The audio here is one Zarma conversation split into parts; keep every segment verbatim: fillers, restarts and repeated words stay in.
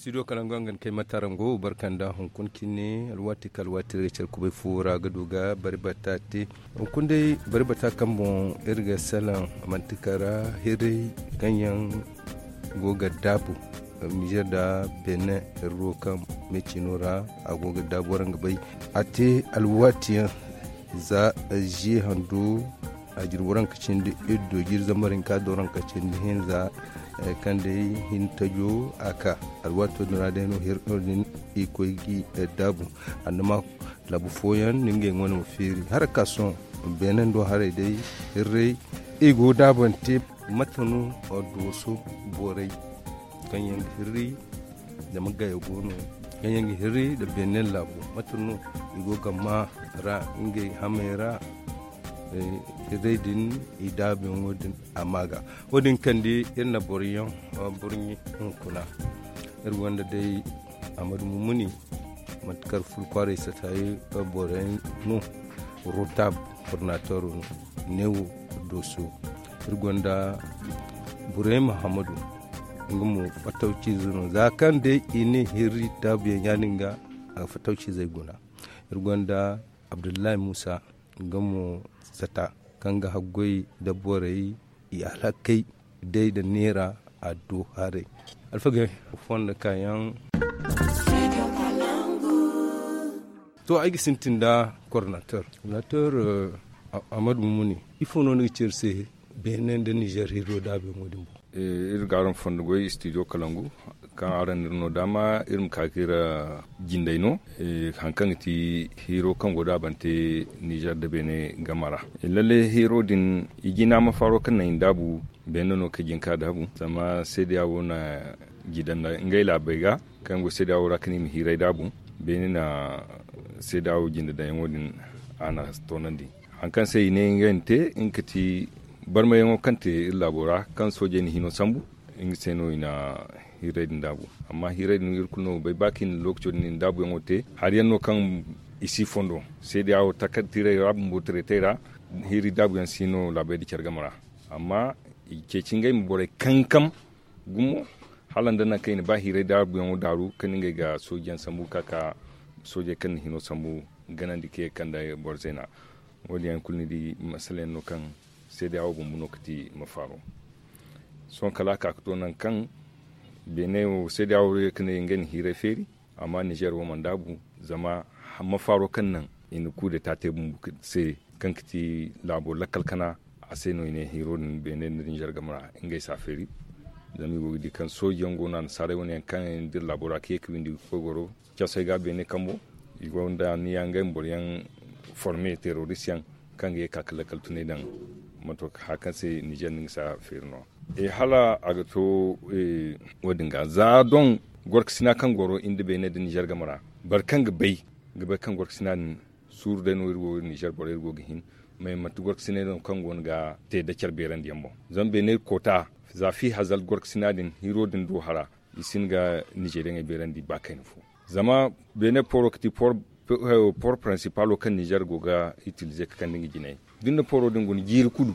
Studio kalangu a ga ni kay matarango barka nda hunkuna cine alwaati kaŋ alwaati iri ga care kubay fo ra ga du ga bari bata te. Hunkuna day bari bata kaŋ boŋ iri ga salaŋ manti kara hiray kaŋ yaŋ go ga daabu nizer nda benin iri ro kaŋ meecino ra a go ga daabu waraŋ ga bay a te alwaati yaŋ za ziye hando a jirbi waranka cindi iddo jiri zambar hinka da waranka cindi hinza kaŋ day hin tajo a ka alwaato din ra day no hirno din i koy gi daabu. Annama laabu fooyaŋ no ngey wane ma feeri haraka sohõ beenando haray day hirray i go daabante mate no dooso borey kaŋ yaŋ ga hirri zama gaya go no kaŋ yaŋ ga hirri nda beenen laabu mate no i go ga maa ra ngey hamey ra. Hirray din i daabuyaŋo din a maa ga wo- din kaŋ di iri na boro yaŋ burɲi hunkuna iri gonda day amadu mumuni manti kar ful kwaaray satayi boro yaŋ no rotab kornator no neewo dooso iri gonda burey mahammadu nga mo fattawciize no za kaŋ day i ne hirri daabuyaŋ ya- din ga a ga fattawciizey guna. Iri gonda abdullahi muusa nga mo sata kaŋ ga haggoy nda borey i alhakey day nda neera a do haray alfagey fondo kaayaŋ. To ay ga sintin nda kornator kornator amadu mumuni ifo no ni ga ci iri se beene nda nizer hiro daabuyaŋo din boŋ? Iri ga araŋ fondo goy studio kalangu kaŋ araŋ na iri no daama iri ma ka ga iri jinday no. Hari kaŋ ga ti hiro kaŋ go daabante nizer nda beene game ra lalle hiro din i jina ma faaro kaŋ naŋ i na daabu beene no kaŋ jin ka daabu zama seedeya wo na jidan da ngey laabey ga kaŋ go seedeya wo ra kaŋ i ma hiiray daabu beene na seedeya wo jinde daŋyaŋo din a na toonandi. Hari kaŋ se i ne ngey na te nga ga ti barmayaŋo kaŋ te iri laabo ra kaŋ soojey na hino sambu nga se no i na hiiray din daabu. Amma hiiray din iri kulu no ga bay ba kaŋ i na lookaco din i na daabuyaŋo te hari yaŋ no kaŋ i si fondo seedeya wo takar tiiray ra bumbo tiretey ra hiiri daabuyaŋ si no laabey nda care game ra. Amma i ceeci ngey ma borey kankam gumo hala nda nangu kaŋ i na ba hiiray daabuyaŋo daaru kaŋ ngey ga soojiyaŋ sambu ga ka ka soojey kaŋ na hino sambu ganandi ka ye ga kande boro zeena. Wo- din yaŋ kulu ni di masala yaŋ no kaŋ seedeya wo bumbo no ga ti mafaaro. Sohõ kala a ka ga to nangu kaŋ beene wo seedeya wo ye ga ne ngey na hiiray feeri amma nizer wo mana daabu zama mafaaro kaŋ naŋ i na kuudeta te bumbo se kaŋ ga ti laabo lakkal kana a se no i ne hiiro din beene nda nizer game ra ngey si a feeri. Zama i go ga di kaŋ sooji yaŋ go no annasaarey wane yaŋ kaŋ yaŋ dira laabo ra ka ye ga windi ga koy goro casey ga beene kambo i gonda niya ngey ma boro yaŋ forme terorist yaŋ kaŋ ga ye ga ka ga lakkal tunay daŋ mato hari kaŋ se nizer no nga si a feeri no. Hala a ga to wo- din ga za doŋ gorkasina kaŋ goro iri nda beene nda nizer game ra boro kaŋ ga bay ga bay kaŋ gorkasina din suuru day no iri go nizer borey iri go ga hin. Mais manti gorkasinay no kaŋ go no ga te da care beerandi yaŋ boŋ zama beene koota za fi hazal gorkasina din hiro din do hara i si hin ga nizeriyaŋey beerandi ba kayna fo. Zama beene poro ga ti poro prinsipaalo kaŋ nizer go ga itilize ga kande nga jinay da ni na poro din guna jiiri kulu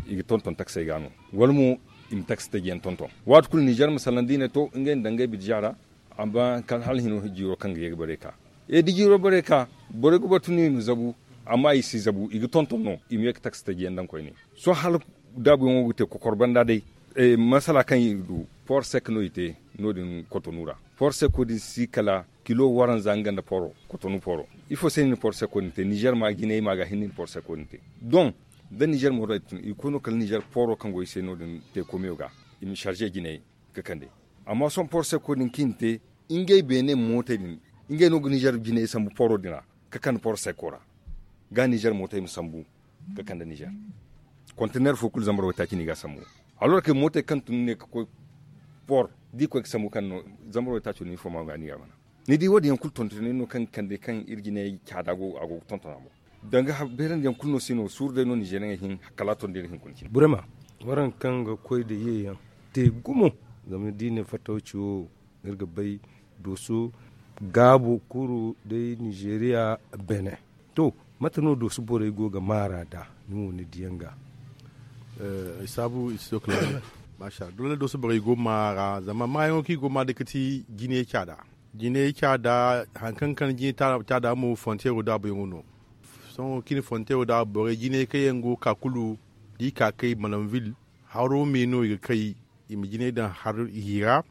i ga tonton taksey ga no wala mo i ma taksi taji yaŋ tonton waati kulu nizer ma salaŋ da i ne to ngey na daŋ ngey bidija ra. Amma kala hala hino jiiro kaŋ ga ye ga bare ka e da jiiro bare ka borey ga batu no i ma zabu. Amma i si zabu i ga tonton no i ma ye ga taksi taji yaŋ daŋ koyne. Sohõ hala daabuyaŋo ga te kokor banda day masala kaŋ i ga du port sec no i te no- din kotonu ra port sec din si kala kilo waranza nga nda poro kotonu poro. Ifo se no i na port sec din te nizer ma jinay ma ga hinne i na port sec din te. Don da nizer mo ra i ga koy no kala nizer poro kaŋ go i se no- din te komiyo ga i ma sarze jinay ga kande. Amma sohõ port sec din kaŋ i na te ngey beene mootey din ngey no ga nizer jinay sambu poro din ra ga kande port sec ra ga nizer mootey ma sambu ga kande nizer. Kontener fo kulu zambar waytaaci no i ga a sambu. Alors que mootey kaŋ tun ne ga koy port da i koy ga sambu kaŋ no zambar waytaaco no ifo ma ga ni ga a mana. Ni di wo- din yaŋ kulu tontoney no kaŋ ga kande kaŋ iri jinay caada a go ga tonton a boŋ. Danga beerandi yaŋ kulu no se no suuru day no nizer yaŋ ga hin kala a tondi iri hinkuna cine. Burema waraŋ kaŋ ga koy nda ye yaŋ te gumo. Zama da i ne fattawci wo iri ga bay dooso gaabo kuru day nizeriya beene. To mate no dooso borey go ga maara nd'a ni mo ni diyaŋ ga? Ay saabu i si to kala. Doole dooso borey go ma ra zama maayaŋo kaŋ i go ma day ga ti jinay caada. Jinay caada hari kaŋ ga kande jinay caada mo frontiyeero daabuyaŋo no. Sohõ kaŋ i na frontiyeero daabu borey jinay kaŋ yaŋ go ga ka kulu da i ka kay malanvil, haro me no i ga kay. I ma jinay daŋ hari ra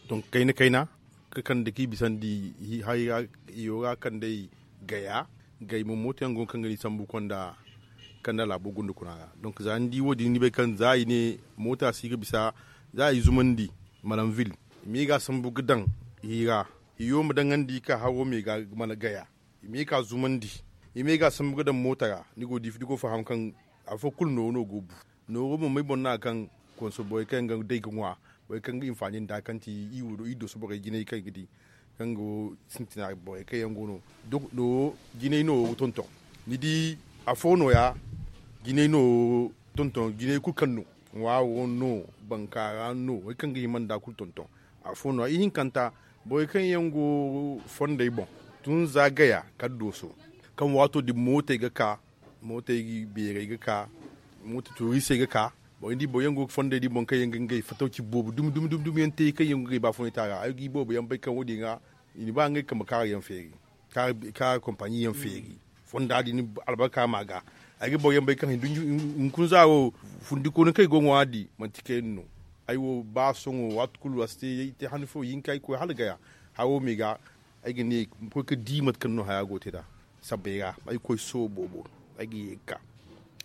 donk kayna kayna ga kande kaŋ i bisandi. Hari ra i yo ga kande i gaya. Gay mo mooto yaŋ go no kaŋ ga ni sambu konda kanda laabo gunda kuna ra. Donk za ni di wo- din ni bay kaŋ za i ne moota si ga bisa za i zumandi malanvil, i ma ye ga sambu ga daŋ i ra. I yo ma daŋandi ka haro me ga mana gaya. I ma ye ka zumandi i ma ye ga sambu ga daŋ moota ra. Ni go ga di fo faham kaŋ afo kulu nooru no go ga bu. Nooru mo may boŋ no a kaŋ konso borey kaŋ yaŋ ga day ga ŋwa borey kaŋ ga hinfaani nda kaŋ ti i wo do i dooso borey jinay kaŋ i ga di kaŋ go sintina borey kaŋ yaŋ go no. Duk nooru jinay nooru ga tonton ni di afo nooya. Jinay nooru tonton jinay kulu kaŋ no ŋwaaro no bankaara no borey kaŋ ga hima nda kulu tonton. Afo nooya ihinkanta borey kaŋ yaŋ go fondey boŋ tun za gaya kala dooso kaŋ waato din mootey ga ka mootey beerey ga ka moota turisey ga ka. Borey ni di boro yaŋ go ga fondey di boŋ kaŋ yaŋ ga ngey fatawci boobo dumi dumi dumi yaŋ te kaŋ yaŋ go ga ngey baafunay te a ra ay ga i boobo yaŋ bay kaŋ wo- din ra i na ba ngey kambe kaara yaŋ feeri kaara kompaɲi yaŋ feeri fonda din albarka ma a ga. Ay ga boro yaŋ bay kaŋ hunkuna za wo fundikooni kaŋ i go ga ŋwa di manti kayna no. Ay wo ba sohõ waati kulu a si te hanno fo hinka ay ga koy hala gaya haro me ga. Ay ga ne ma koy ga di mate kaŋ no haya go ga te nd'a sabbay ra ay ga koy sohõ boobo ay ga ye ga ka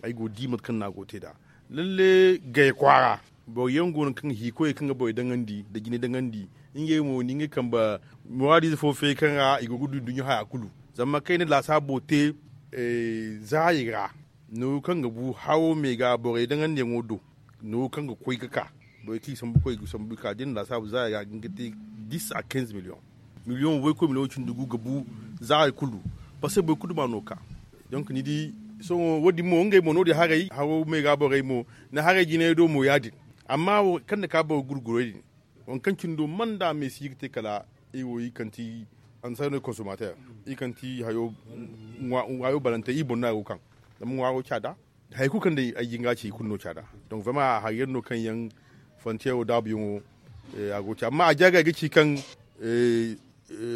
ay go ga di mate kaŋ no a go ga te nd'a. Lalle gay kwaara boro yaŋ go no kaŋ ga hiikoyey kaŋ ga borey daŋandi nda jinay daŋandi ngey mo ni ngey kambe muraadiize fo feeri kaŋ ra i go ga du nduɲɲa haya kulu. Zama kaŋ i na laasaabo te zaari ra nooru kaŋ ga bu haro me ga borey daŋandiyaŋo do nooru kaŋ ga koy ga ka borey kaŋ i sambu koy ga sambu ga ka da i na laasaabu zaari ra ga nga te dis a kinze miliyoŋ. Miliyoŋ woy koy miliyoŋ cindi gu ga bu zaari kulu. Parce que boro kulu ma no ga ka donk ni di sohõ wo- din mo ngey mo no- din haray haro me ga borey mo ni haray jinay do mo ya- din. Amma kaŋ na ka boro gurgurey din waŋ kaŋ cindo mana nda me si ga te kala iri wo iri kaŋ ti ansa no konsomater iri kaŋ ti hayo balante iri boŋ no a go ga kaŋ zama ŋwaaro caada. Hari kulu kaŋ day ay jinga ci i kulu no caada. Donk vraiment hari yaŋ no kaŋ yaŋ frontiyeero daabuyaŋo a go ga ci amma a jaagay ga ci kaŋ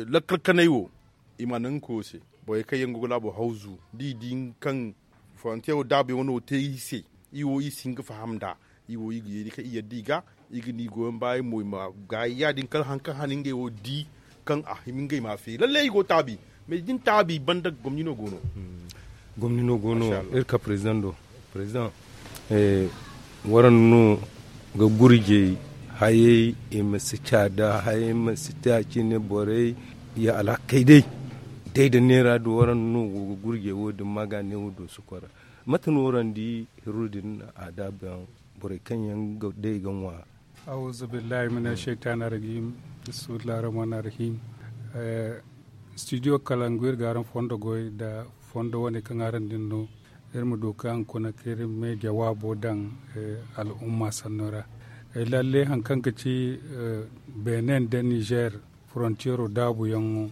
lakkal kanay wo i ma naŋ ga koy wo se borey kaŋ yaŋ go ga laabo hawzu da i di kaŋ frontiyeero daabuyaŋo no te i se. I wo i si hin ga faham nd'a i wo i ga yeeni kaŋ i yadda i ga i ga ni goyaŋ baayaŋ mo i ma gaayi ya- din kala hari kaŋ hane ngey wo di kaŋ a hima ngey ma a feeri lallay i go ga taabi. Mais da ni taabi banda gomni no go no. Gomni no go no. Iri ka president do president waranno ga gurjey hayey i ma si caada hayey ma si te a cine borey ya alhakey day day da neera do waranno go ga gurjey wo- din ma ga ne wo do sukora. Mate no waran di hirru din a daabu yaŋ borey kaŋ yaŋ ga day ga ŋwa. Auzubillahi mina shaytani rajim. Bismillahi rahmani rahim. Studio kalangu iri ga araŋ fondo goy nda fondo wane kaŋ araŋ din no. Iri ma du ka hunkuna ka iri me jawaabo daŋ al'umma sanno ra. Lalle hari kaŋ ga ci benin nda nizer frontiero daabuyaŋo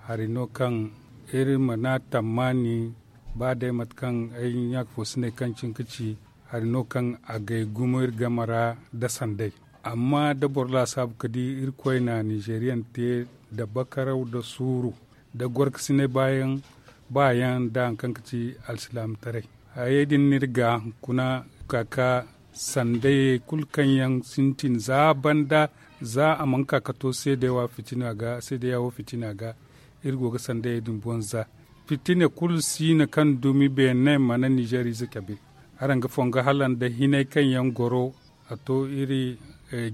hari no kaŋ iri mana tammaani ba day mate kaŋ ay ɲaaka fo si ne kaŋ cin ga ci hari no kaŋ a gay gumo iri game ra nda sanday. Amma da boro laasaabu ga di irkoy na nizeriyaŋ te nda bakaraw nda suuru nda gorkasinay baayaŋ nda hari kaŋ ga ci alsilaamataray. Hayey din no iri ga hunkuna ga ka ka sandayey kulu kaŋ yaŋ sintin za banda za a mana ka ga to seedeya wo fitina ga iri go ga sandayey din boŋ za. Fitina kulu si no kaŋ dumi beene mana nizer ize cabe. Araŋ ga fongo hala nda hinay kaŋ yaŋ goro a to iri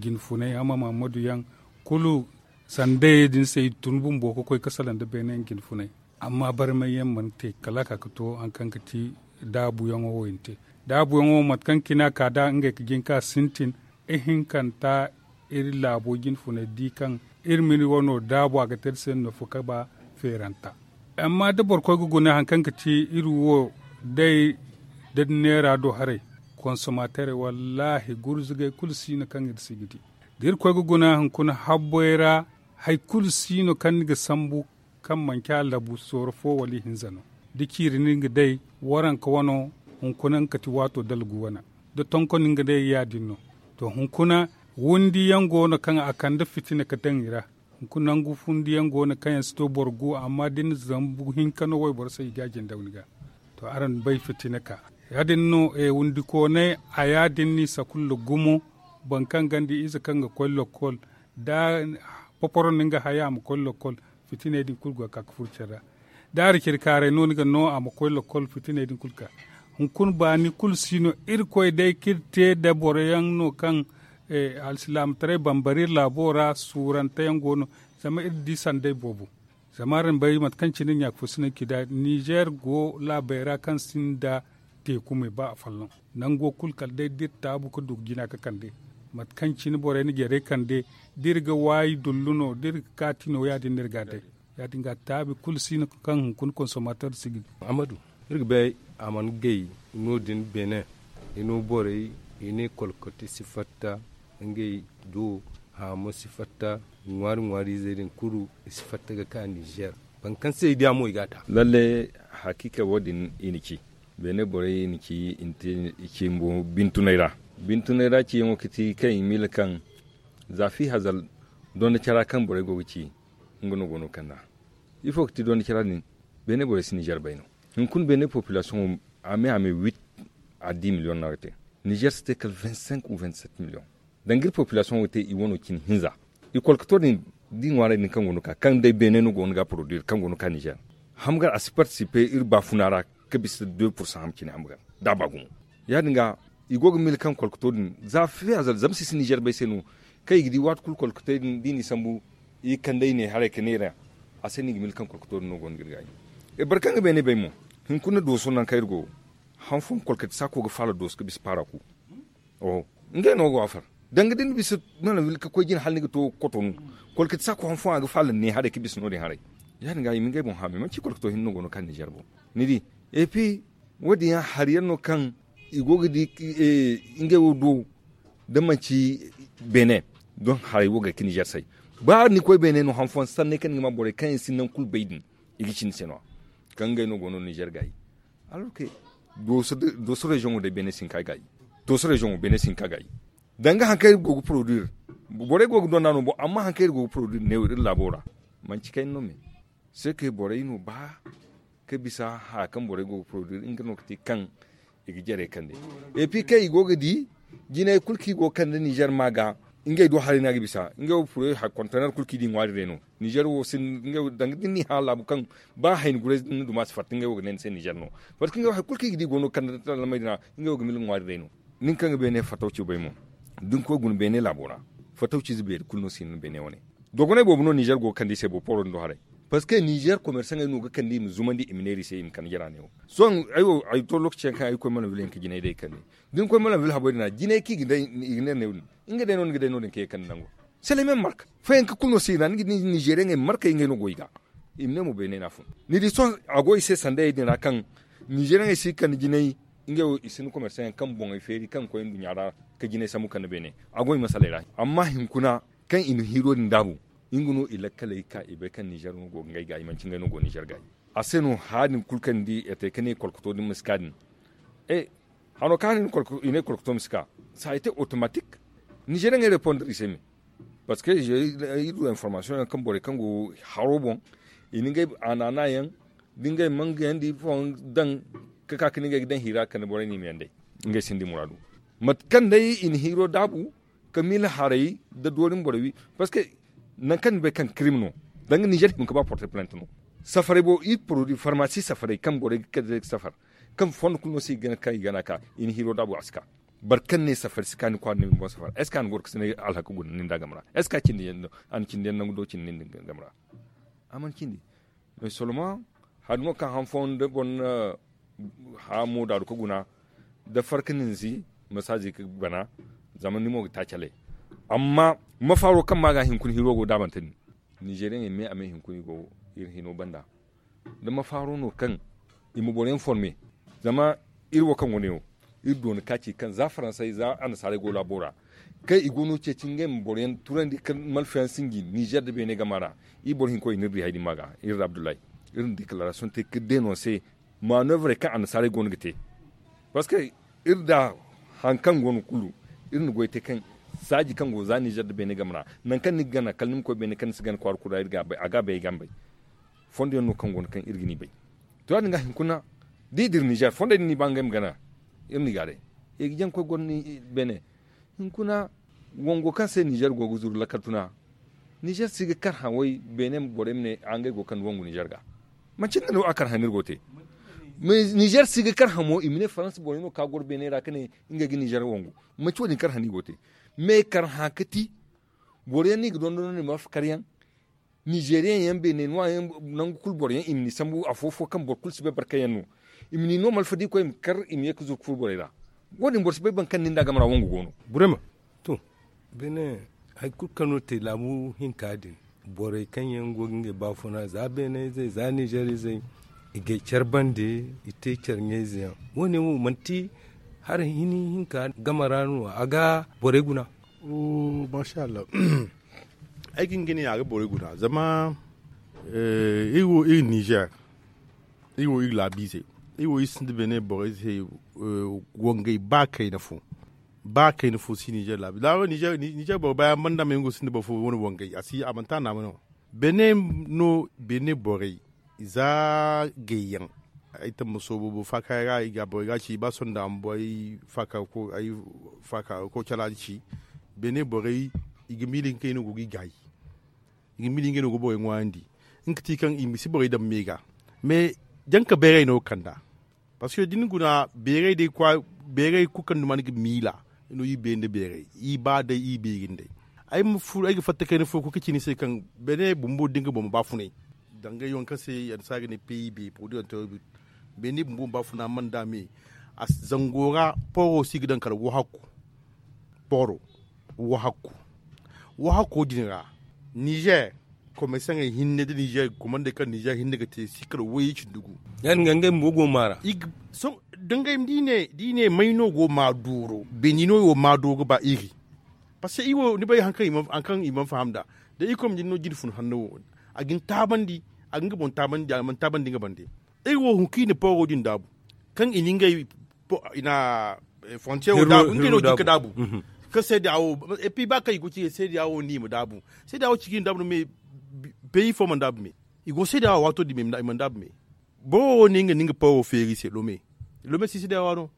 jinfunay hama mahammadu yaŋ kulu sandayey din se i tun bumbo ga koy ga salaŋ nda beene yaŋ jinfunay. Amma barmay yaŋ mana te kala a ka ga to hari kaŋ ga ti daabuyaŋo wo i na te. Daabuyaŋo wo mate kaŋ cine a ka nd'a ngey ga jin ka sintin ihinkanta iri laabo jinfunay di kaŋ iri ma iri wano daabu a ga te iri se nda nafa ga ba feeranta. Amma da boro koy ga guna hari kaŋ ga ti iri wo day da neera do haray konsomaterey wallaahi gurzugay kulu si no kaŋ iri si ga di. Da iri koy ga guna hunkuna habboy ra hari kulu si no kaŋ ni ga sambu kaŋ manci a labu sooro fo wala ihinza no. Da ciiri no ni ga day waranka wano hunkuna nga ga ti waato dalgu wana da tonkon no ni ga day ya- din no. To hunkuna, windi yaŋ go no kaŋ a kande fitina ga daŋ i ra. Hunkuna nangu windi yaŋ go no kaŋ yaŋ si to boro gu amma da ni na zambu hinka no wayboro se i ga a jindaw ni ga. To araŋ bay fitina ka ya- din no windi koonay a ya- din no i sakulla gumo. Boro kaŋ gonda ize kaŋ ga koy lokkol da poporo no nga haya a ma koy lokkol. Fitiney din kulu go ga ka ga furo care ra. Da hari care kaaray no ni ga no a ma koy lokkol fitiney din kulu ga ka. Hunkuna baani kulu si no irkoy day kaŋ iri te nda boro yaŋ no kaŋ alsilaamataray bambari iri laabo ra suurante yaŋ go no. Zama iri di sanday boobo. Zama araŋ bay mate kaŋ cine ɲaaka fo si no iri ci nd'a nizer go laabey ra kaŋ sinda teeku me ba afolloŋ. Nango kulu kala day da iri taabu ga du ga jina ga kande mate kaŋ cine borey na jarey kande da iri ga waayi dullu no da iri ga kaati no ya- din no iri ga a day. Ya- din ga taabi kulu si no kaŋ hunkuna konsomater si ga di. Iri ga bay a mana gay no- din beene. I no borey i ne kolkoti si fatta ngey do haamo si fatta ŋwaari ŋwaari izey din kulu i si fatta ga ka nizer. Boro kaŋ se i diya mo i ga a ta. Lalle hakiika wo- din i na ci beene borey i na ci i na te i ci bumbo bintunay ra. Bintunay ra ciyaŋo ga ti kaŋ i miila kaŋ za fi hazal donda cara kaŋ borey go ga ci nga no go no ga kand'a. Ifo ga ti donda cara din? Beene borey si nizer bay no. Hunkuna beene popilasiyoŋo a me a me wit a di miliyoŋ no a ga te. Nizer si te kala vingt cinq ou vingt sept miliyoŋ. Danga iri popilasiyoŋo ga te i wano cine hinza. I kolkoto din da i ŋwaaray din kaŋ go no ga ka kaŋ day beene no go no ga a poroduir kaŋ go no ga ka nizer. Hamgar a si partisipe iri baafuna ra ga bisa deux pursan ham cine hamgar da a ba gumo. Ya- din ga i go ga miila kaŋ kolkoto din za fiya zama si si nizer bay se no. Kaŋ i ga di waati kulu kolkotey din da i n'i sambu i ga kande i ne haray ga neera. A se no i ga miila kaŋ kolkoto din no go no ga iri gaayi. Boro kaŋ ga beene bay mo, hunkuna dooso nangu kaŋ iri go han fooyaŋ kolkoti saako ga faala dooso ga bisa paara ku. Oho. Ngey no go a far danga da ni bisa mana wil ga koy jina hala ni ga to kotonu. Kolkati saako han fooyaŋ a ga faala ne haray ga bisa no- din haray. Ya- din ga i ma ngey boŋ haamay manti kolkato hinne no go no kaŋ nizer boŋ. Ni di? Epi wo- din yaŋ hari yaŋ no kaŋ i go ga di ngey wo do da manti beene. Don haray wo ga ay ga nizer say ba ni koy beene no han fooyaŋ sanney kaŋ ni ga ma borey kaŋ yaŋ si nangu kulu bay din i ga ci ni se no- ya kaŋ ngey no go no nizer gaayi. Alorke dooso reziyoŋo day beene si hin ka gaayi. Dooso reziyoŋo beene si hin ka gaayi. Danga hari kaŋ iri go ga poroduir borey go ga donda no bo amma hari kaŋ iri go ga poroduir neewo iri laabo ra. Manti kayna no me se ke borey no ba ga bisa haya kaŋ borey go ga poroduir nga no ga te kaŋ i ga jarey kande. Epi kaŋ i go ga di jinay kulu kaŋ i go ga kande nizer ma ga ngey do haray no a ga bisa ngey wo poroduir hari kontener kulu kaŋ i di ŋwaari day no. Nizer wo si ngey wo danga da ni n'i hã laabu kaŋ ba hayni gurayze da ni na duma si fatta ngey wo ga ne ni se nizer no. Fatta kaŋ ngey wo hari kulu kaŋ i ga di go no ga kande da tallamey din ra. Ngey wo ga mila ŋwaari day no. Nin kaŋ ga beene fatawci bay mo da ni koy guna beene laabo ra. Fatawciize beeri kulu no si hin na beene wane. Dogonay boobo no nizer go ga kande i se boro pooro din do haray. Parceque nizer komersaŋey no ga kande i ma zumandi i ma neera i se i ma kande jara neewo. Sohõ ay wo ay to lookaci yaŋ kaŋ ay ga koy malanvil yaŋ ga jinay day kande. Da ni koy malanvil habey din ra jinay kaŋ i ga neera neewo din nga day no ni ga day no- din ka ye ga kande nango. Selemen marka fooyaŋ ga kulu no se i ra ni ga di nizeriyaŋey markey ngey no go i ga i ma ne mo beene no a fun. Ni di sohõ a go i se sandayey din ra kaŋ nizeriyaŋey si ga kande jinay. Ngey wo i sinda komersaŋ yaŋ kaŋ boŋey feeri kaŋ ga koy nduɲɲa ra ga jinay sambu kande beene. A go i masaley ra amma hinkuna kaŋ i na hiiro din daabu nga no i lakkaley ga ka i bay kaŋ nizer no go ga ngey gaayi manti ngey no go nizer gaayi. A se no haya din kulu kaŋ ni di etey ga ne kolkoto din ma si ka din. Hano kaŋ hano i ne kolkoto ma si ka. Sa a été otomatik. Nizeriyaŋey repondre i se me. Parceque iri du informasiyoŋ yaŋ kaŋ borey kaŋ go haro boŋ i na ngey anana yaŋ da ngey mangayandi ifooyaŋ daŋ ga ka ga ne ngey ga daŋ hiira ga kande borey no i ma yaŋ day. Ngey sinda i muraadu mate kaŋ day i na hiiro daabu ga miila haray nda doori ma borey wi. Parceque nangu kaŋ ni bay kaŋ kirim no danga nizer hima ga ba porte plante no. Safarey bo iri poroduwi farmasi safarey kaŋ borey ga kande day ga safar kaŋ fondo kulu no se i ga gana ka i gana ka i na hiiro daabu a si ka. Boro kaŋ ne safari si ka ni kwaara ni ma ni boŋ safari est ce que a na goro ga si ne alhaka guna nin da a game ra? Est ce que a cindi yaŋ nangu do cindi nin da game ra? A mana cindi. Mais soloma hari no kaŋ han fooyaŋ da boro na hamo daaru ga guna da farka ninzi masaaji ga bana. Zama ni mo ga taaci alay amma mafaaro kaŋ ma ga hinkuna hiro go daabante din. Nizeriyaŋey me a me hinkuna i go iri hino banda. Da mafaaro no kaŋ i ma boro yaŋ forme. Zama iri wo kaŋ go ne wo iri doona kaaci kaŋ za faransey za annasaarey go laabo ra kaŋ i go no ceeci ngey ma boro yaŋ turandi ka malfayaŋ sinji nizer nda beene gama ra. Iri boro hinkoy no iri di hari din ma ga iri nda abdullahi iri na dekararasiyoŋ te ga deenonse. Manevrey kaŋ annasaarey go no ga te parceque iri da hari kaŋ go no kulu Iri na goy te kaŋ saaji kaŋ go za nizer nda beene game ra, nangu kaŋ ni ga gana kala ni ma koy beene kaŋ ni si gana kwaara kulu ra, a ga a bay ay ga a ma bay. Fondo yaŋ no kaŋ go no kaŋ iri ga ni bay. To ya- din ga hinkuna da i dira nizer fondey din no i ba ngey ma gana. Iri no i ga a day. I ga jaŋ koy goro ni beene. Hinkuna wango kaŋ se nizer go ga zuru lakkal tuna. Nizer si ga karhã way beene borey ma ne a ngey go ga kande wangu nizer ga. Manci nga no a karhã no iri go ga te. Nizer si ga karhã mo i ma ne faransa borey no ka goro beene ra ka ne ngey ga nizer wangu. Manci wo- din karhã no i go ga te. Me karhã ka ti boro yaŋ no i ga dondon no i ma alfa kar yaŋ. Nizeriyaŋ yaŋ beene no a yaŋ nangu kulu boro yaŋ i ma ni sambu afo fo kaŋ boro kulu si bay barka yaŋ no. I ma ni no malfa da i koy i ma kar i ma ye ga zuru ga furo borey ra. Wo- din boro si bay boro kaŋ ni nda a game ra wangu go no. Burema. To, beene hari kulu kaŋ no te laabu hinka din, borey kaŋ yaŋ go ga ngey baafuna za beene izey za nizer izey, i g'ay care bande, i te care ɲayze yaŋ. Wo- ne wo manti hari hini hinka game ra no a ga borey guna. Masha allah. Ay ga hin ga ne a ga borey guna zama iri wo iri nizer, iri wo iri laabiizey, iri wo iri sinda beene borey se. Wangey ba kayna fo ba kayna fo si nizer laabiizey nizer borey ba yaŋ banda ma yaŋ go sinda boro fo wane wangey a si a manti a naama no. Beene no beene borey za gayyaŋ. Ay tamma soobo boro faakaaray ra i ga a borey ga a ci ba sonda a ma borey faakaaro ko calaadi ci. Beene borey i ga miila ngey no go ga i gaayi. I ga miila ngey no go borey ŋwaayandi. Nga ti kaŋ i ma si borey daŋ me ga. Mais janka beeray no ga kand'a. Parceque da ni guna beeray day kwa beeray kulu kaŋ duma ni ga miila. No iri beeri nda beeray iri ba day iri beeri nd'ey. Ay ma furo ay ga fatta kayna fo ga koy ga ci ni se kaŋ beene bumbo da nga boŋ ma baafunay. Dangay waŋ kaŋ se annasaara ga ne pib produit anterobi. Beene bumbo ma baafuna mana nda me. Zango ra pooro si ga daŋ kala wahakku. Pooro wahakku wahakko din ra. Nizer komersaŋey hinne nda nizer komandey kaŋ nizer hinne ga te si kala wayye cindi gu. Ya- din ga ngey bumbo go ga maara. Dangay da i ne may no go ga ma dooro beeni no i wo ga ma dooro ga ba iri. Parceque iri wo ni bay hari kaŋ i mana faham nd'a. Da iri koy ma din no jine fun hanno wo a ga ni taabandi. A ga nga boŋ taabandi a mana taabandi nga bande. Iri wo hunkuna pooro din daabu kaŋ i na ngey i na frontier wo daabu ngey no ga hin ga daabu. Kaŋ seeda wo epi ba kaŋ i go ga ci seeda wo no i ma daabu. Seeda wo ci ga i ma daabu no me. Peyi fo mana daabu me. I go seeda wo waato din me i mana daabu me. Boro wo no nga no nga pooro feeri se lome. Lome si seeda wo no.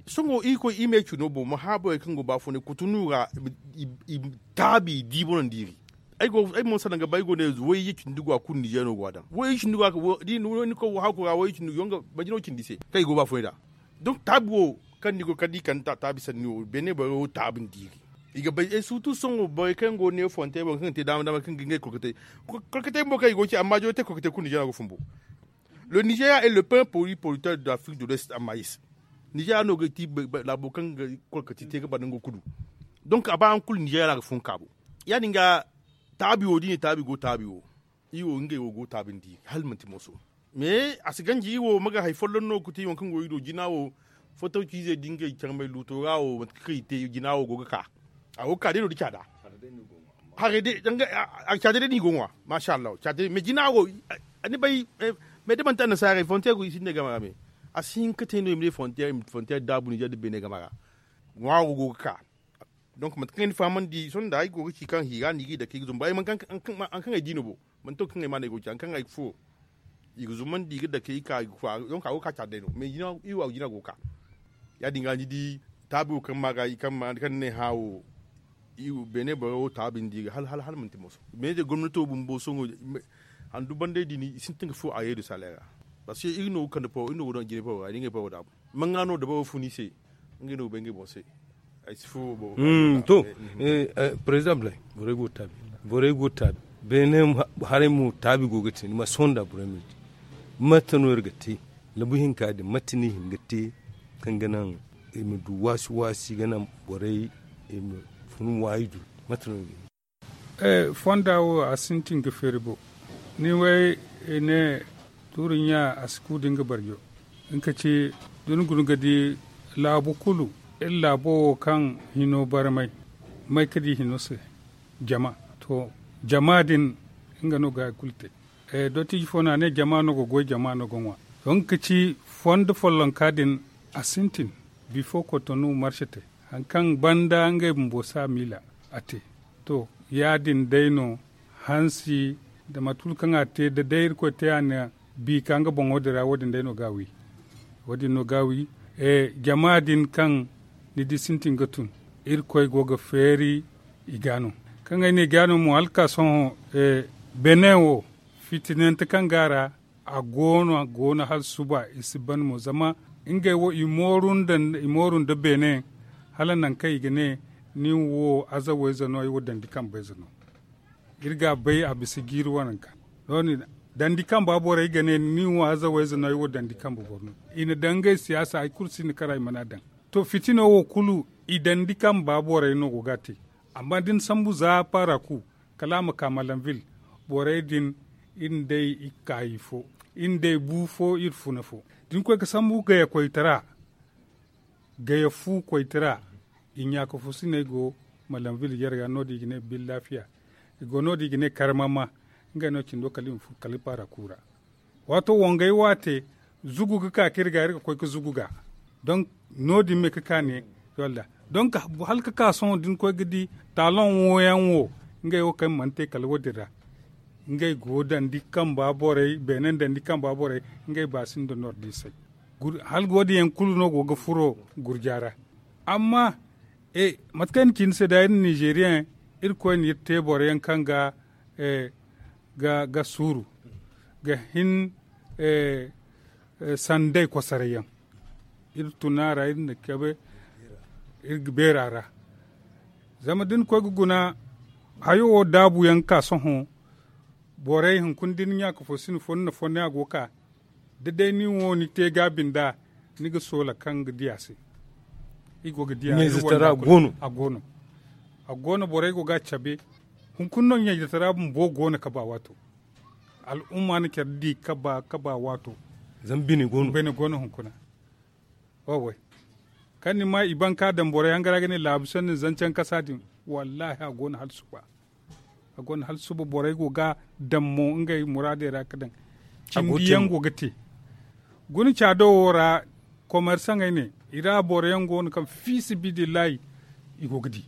Sohõ iri koy iri ma ay cino boŋ ma hã borey kaŋ go baafunay kutunu ra. I taabi i di boŋ no nda iri. Ay mo salaŋ ga ba ay go ne wayye cindi go a kulu nizer no go a daŋ wayye cindi go a daŋ. Ni koy wo haaku ra wayye cindi go yonga majino cindi se kaŋ i go baafunay nd'a. Donc taabi wo kaŋ ni go ga kande i kande taabi sanni wo beene borey wo taabi nda iri. I ga bay ay suutu sohõ borey kaŋ go ne fonte boŋ kaŋ ga te daama daama kaŋ ga ngey kolkatey. Kolkatey bumbo kaŋ i go ga ci amma joy te kolkatey kulu nizer no a go fumbo. Le nizeria est le premier produit producteur de l'afrique de l'ouest a mais. Nizeria no ga ti laabo kaŋ ga kolkati te ga banda nga kulu. Donc a ba hari kulu nizeria ra ga fun kaabo. Ya- din ga taabi wo da i ne taabi go taabi wo. Iri wo ngey wo go taabindi hala manti mooso. Mais a si ganji iri wo ma ga hari folloŋ no ga ti waŋ kaŋ go iri do jina wo. Foto ciizey da ngey carmay luuto ra wo mate kaŋ i te jina wo go ga ka. A go ga ka day no da caada. Haray day caada day no i go ga ŋwa masha allah caada day mais jina wo. Ni bay mais da manti annasaarey fonte go i sinda game ra me. A si hin ga te no i ma ne fonte daabu nizer nda beene game ra. Ŋwaaro go ga ka. Donc mate kaŋ ay na fahamandi sohõ nda ay go ga ci kaŋ hiira no i g'i dake i ga zumbu ay mana kaŋ ay di no bo. Manti wo kaŋ ay ma no ay go ga ci hari kaŋ ay ga furo. I ga zumandi i ga dake i ka i ga furo. Donc a go ga ka care day no mais iri wo a ga jina go ga ka. Ya- din ga ni di taabi wo kaŋ ma ga i kaŋ ma kaŋ ni ne hã wo. Beene boro wo taabi nda i ga hala hala manti mooso. Mais day gomnato bumbo sohõ handu bandey din i sintin ga furo a yeedu saleera. Parceque iri no ga kande poro iri no go daŋ jinay poro ra i na ngey poro daabu. Manga no dabaro fun i se. Ngey no ga bay ngey boŋ se. Ay si furo boro. To. Président blay borey go taabi. Borey go taabi. Beene haray mo taabi go ga te ni ma sohõ nda borey ma di. Mate no iri ga te? Labu hinka din mate no i hin ga te? Kaŋ ga naŋ i ma du waasi waasi ga naŋ borey i ma fun waayi du. Mate no iri ga te? Fonda wo a sintin ga feeri bo. Ni way i ne tuuri ɲa a si ku da nga barjo. Nga ka ci da ni guna ga di laabu kulu iri laabo wo kaŋ hino barmay may ka di hino se. Jama to jama din nga no ga hari kulu te. Dottiji fo no a ne jama no ga goy jama no ga ŋwa. To nga ka ci fondo follonka din a sintin bifo kotonu marse te. Hari kaŋ banda ngey bumbo si a miila a te. To, ya- din day no, hansi nda mate kulu kaŋ a te da day irkoy te a na bi ka nga boŋo dira wo- din day no ga a wi. Wo- din no ga a wi. Jama din kaŋ ni di sintin ga tun, irkoy go ga feeri i ga no. Kaŋ ay ne ga no mo hala ka sohõ, bene wo fitinante kaŋ go a ra, a go no a go no hala suba i si ban mo zama ngey wo i mooru nda beene. Hala nangu kaŋ i ga ne nin wo azawa ize no ay wo dandi kambe ize no. Iri ga a bay a bisa jiiri waranka. Dandi kamba borey ga ne nin wo azawa ize no ay wo dandi kambe boro no. I na daŋ ngey siyaasa hari kulu si ni kara i mana daŋ. To fitino wo kulu i dandi kamba borey no go ga a te. Amma da ni sambu za paaraku kala a ma ka malanvil. Borey din iri nda ay i kaayi fo, iri nda ay bu fo iri funa fo. Da ni koy ga sambu gaya koytara, gaya fu koytara, i ɲaaka fo siney go malanvil yar ga no- din i ga ne billaafiya. I go no- din i ga ne karmama. Ngey no cindo kala i ma furo kala paaraku ra. Waato wangay wo a te, zugu ga ka kaŋ iri ga iri ga koy ga zugu ga. Donk no- din me ga ka ne, donk hala ga ka sohõ da ni koy ga di taaloŋ wo yaŋ wo, ngey wo kaŋ mana te kala wo- din ra. Ngey go dandi kamba borey beene dandi kamba borey. Ngey ba sinda nordiisey. Hala wo- din yaŋ kulu no go ga furo gurja ra. Amma mate kaŋ ay na ci ni se da iri na nizeeriya yaŋ, iri koy na iri te boro yaŋ kaŋ ga ga suuru ga hin sanday kosoray yaŋ. Iri tun a ra iri na kabe iri ga beera ra. Zama da ni koy ga guna hayo wo daabu yaŋ ga ka sohõ. Borey hunkuna da ni ɲaaka fo sina fo ni na fonnay a go ga ka da day nin wo ni te gaabi nd'a, ni ga soola kaŋ ga di a se. I go ga di a se a go no. A go no borey go ga a cabe. Hunkuna no ɲaydatara bumbo go no kaba waato. Al'umma na care di kaba kaba waato. Zama bine go no hunkuna. Kaŋ ni ma i ban ka daŋ borey hangara ga ne laabu sanni zancan kasa din. Wallaahi a go no hala suba. A go no hala suba borey go ga daŋ mo ngey muraadey ra ga daŋ. Cindi yaŋ go ga te. Guna caado wo ra komersaŋey ne i ra boro yaŋ go no kaŋ fiisabilillahi i go ga di.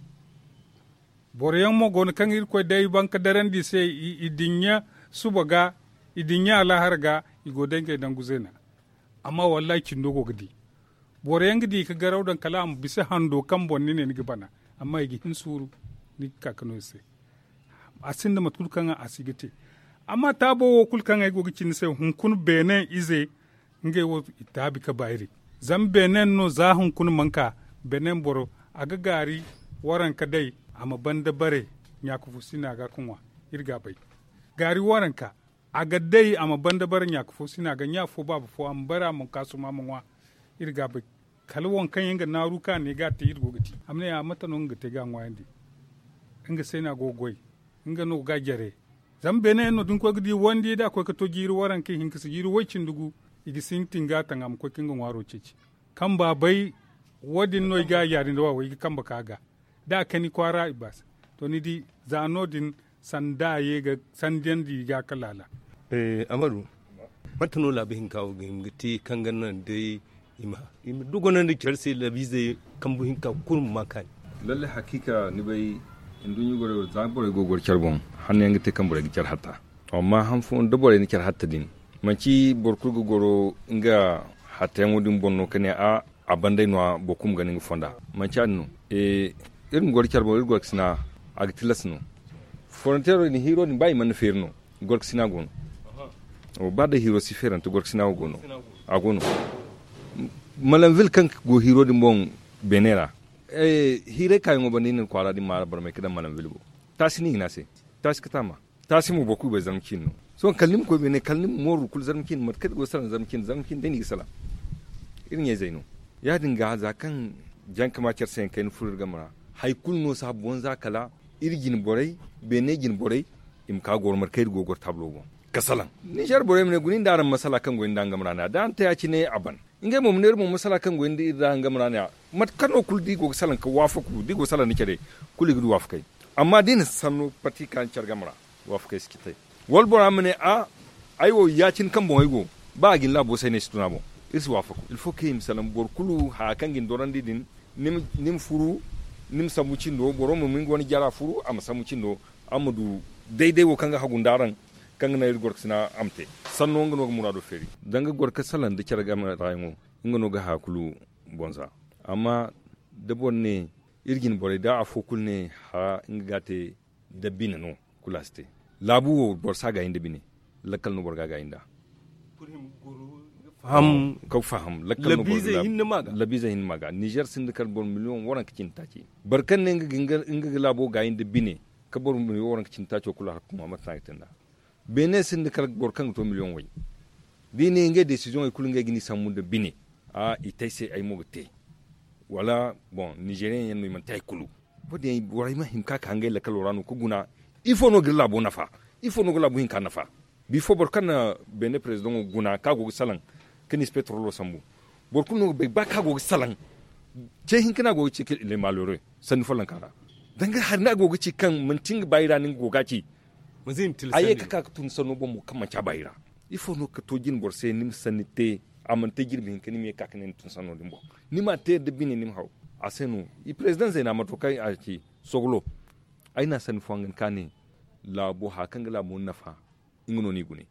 Boro yaŋ mo go no kaŋ irkoy day ban ga darandi i se i dinya suba ga i dinya alahar ga. I go day ngey nangu zeena. Amma wallahi cindo go ga di. Boro yaŋ ga di ga garaw daŋ kala a ma bisa hando kaŋ boŋ ni ne ni ga bana. Amma i ga hin suuru ni ga ka ga no i se. A sinda mate kulu kaŋ a si ga te. Amma taabo wo kulu kaŋ ay go ga ci ni se hunkuna beene ize ngey wo i taabi ga baari. Zama beene no za hunkuna mana ka beene boro a ga gaari waranka day a ma banda bare ɲaaka fo sina ga ga ŋwa. Iri ga a bay gaari waranka a ga day a ma banda bare ɲaaka fo sina ga ɲa fo baaba fo a ma bare a ma ka suma a ma ŋwa. Iri ga a bay kala waŋ kaŋ yaŋ ga naaru ka ne ga a te iri go ga ci a ma ne a mate no nga ga te ga a ŋwaayandi. Nga se no a go ga goy nga no ga a jare. Zama beene yaŋ no da ni koy ga di wandi da a koy ga to jiiri waranka ihinka si jiiri way-cindi gu i ga sintin ga a taŋ a ma koy ga nga ŋwaaro ceeci. Kaŋ ba bay wo- din no i ga a yaari nda wa way ga kambe ka ga da a kani kwaara i baasi. To ni di za no- din sanda a ye ga sandiyandi i ga a kala laala. Amadu, mate no laabu hinka wo ga hima ga te kaŋ ga naŋ day i ma dugonandi care se laabiizey kambu hinka kulu ma ma kaani? Lalle hakiika ni bay nduɲɲa borey wo za borey go ga goro care boŋ hanno yaŋ ga te kaŋ borey ga care hatta. Amma han fooyaŋ da borey na care hatta din manci boro kulu ga goro nga hattayaŋo din boŋ no ka ne a a banday no- ya boro kulu ma gana nga fonda. Manci ya- din no iri ma goro care boŋ iri goro ga sina a ga tilas no. Foronteero din hiiro din ba i mana feeri no gorkasina go no. Ba day hiro si feerante gorkasina wo go no. A go no malanvil kaŋ go hiro din boŋ beene ra. Hiray kaayaŋo banda i na ni kwaara din maara barmay ga daŋ malanvil boŋ. Taasi no i ga ne a se. Taasi ga taama. Taasi mo boro kulu bay zarma ciine no. Sohõ kala ni ma koy beene kala ni ma mooru kulu zarma ciine mate kaŋ iri go ga salaŋ zarma ciine zarma ciine day no i ga salaŋ. Iri ɲayzey no. Ya- din ga za kaŋ jankama care se yaŋ kayna furo iri game ra. Hari kulu no saabu wanza kala iri jine borey beene jine borey i ma ka goro mate kaŋ iri go ga goro taablo boŋ. Ga salaŋ ninzeer borey ma ne guna iri nda araŋ masala kaŋ goy nda araŋ game ra ne- ya da araŋ te ya- cine a ban. Ngey mo ma ne iri boŋ masala kaŋ goy nda iri nda araŋ game ra ne- ya mate kano kulu da i go ga salaŋ ga waafaku da i go ga salaŋ nda care kulu i ga du waafakey. Amma da i na sanno pati ka ni care game ra waafakey si ci te. Wala bora ma ne a ay wo ya- cine kaŋ boŋ ay go ba a ga ni laabo se ay ne ay si tun a boŋ. Iri si waafaku il faut kaŋ i ma salaŋ boro kulu haya kaŋ ga ni dorandi din. Ni ma furu, ni ma sambu cindo boro ma nga wane jara furu a ma sambu cindo, a ma du dayday wo kaŋ ga hagu nda araŋ, kaŋ ga naŋ iri gorkasina a ma te. Sanno nga no ga muraado feeri danga gorka salaŋ nda care game ra yaŋo. Nga no ga haya kulu bonza. Amma da boro ne iri jine borey da afo kulu ne hara nga ga a te nda bine no, kulu a si te. Laabu wo boro si a gaayi nda bine. Lakkal no boro ga a gaayi nd'a. Ka faham lakkal no boro ga a gaayi nd'a. Labiizey hinne ma ga nizer sinda kala boro miliyoŋ waranka cindi taaci. Boro kaŋ ne nga ga laabo gaayi nda bine, ka boro miliyoŋ waranka cindi taaco kulu a hakku ma mate no a ga te nd'a. Beene sinda kala boro kaŋ ga to miliyoŋ way. Da i ne ngey desiziyoŋey kulu ngey ga ni sambu nda bine. I te ay se ay mo ga te. Wala boŋ nizeriyeŋ yaŋ no i mana te hari kulu. Wo- din borey ma hima ka ka ngey lakkalo ra no ga guna. Ifo no ga iri laabo nafa? Ifo no ga laabo hinka nafa? Bifo boro kaŋ na beene perezidaŋo guna kaŋ a go ga salaŋ, ka ni si petrolo sambu. Boro kulu no ga bay ba kaŋ a go ga salaŋ. Ce hinka no a go ga ci ka le malheureux sanni follonka ra. Danga hari no a go ga ci kaŋ manti nga baayi ra no nga go ga a ci. A ye ka ka ka tun sanno boŋ mo kaŋ manti a baayi ra. Ifo no ga to jine boro se ni ma sanni te? A mana te jirbi hinka ni ma ye ka ka ne ni tun sanno din boŋ. Ni ma a te nda bine ni ma haw. A se no i perezidaŋ zeena mato kaŋ a ci sogolo. Ay na sanni fo hangan ka ne laabo haya kaŋ ga laabo nafa. Nga no ni gune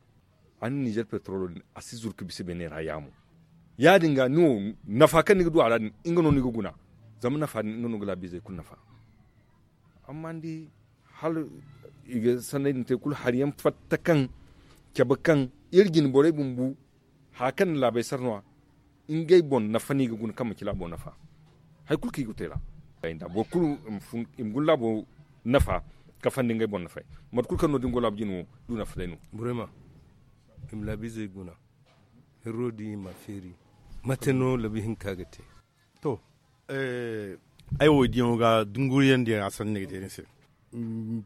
a na nizer petrolo din a si zuru ka bisa beene ra yaamo. Ya- din ga ni wo nafa kaŋ ni ga du a ra din nga no ni ga guna. Zama nafa din nga no ga laabiizey kulu nafa. Amma ni di hala i ga sanney din te kulu hari yaŋ fatta kaŋ cabe kaŋ iri jine borey bumbu. Haya kaŋ na laabey sara no- ya ngey boŋ nafa no i ga guna kaŋ manci laabo nafa. Hari kulu kaŋ i ga te ra boro kulu i ma guna laabo nafa. Kafandi ngey boŋ nafay mate kulu kaŋ no da ni go laabu jine wo du nafa day no. Burema i ma laabiizey guna. Herro din i ma a feeri. Mate no labi hinka ga te? To, ay wo diyaŋo ga dunguriyaŋ diyaŋ a sanni ga te ni se.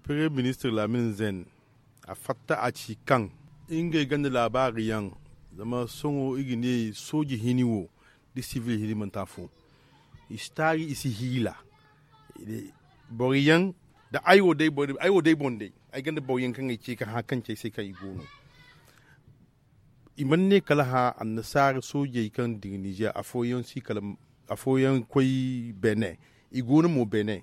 Premier ministre lamin zen a fatta a ci kaŋ ngey gonda laabaari yaŋ. Zama sohõ i ga ne sooje hini wo da sivil hini manti afo. I si taari i si hiila. Boro yaŋ da ay wo day boŋ day ay gonda boro yaŋ kaŋ ay ce ka hã kaŋ ci ay se kaŋ i go no. I mana ne kala hã annasaara soojey kaŋ dira nizer afooyaŋ si kala afooyaŋ koy benin. I go no mo benin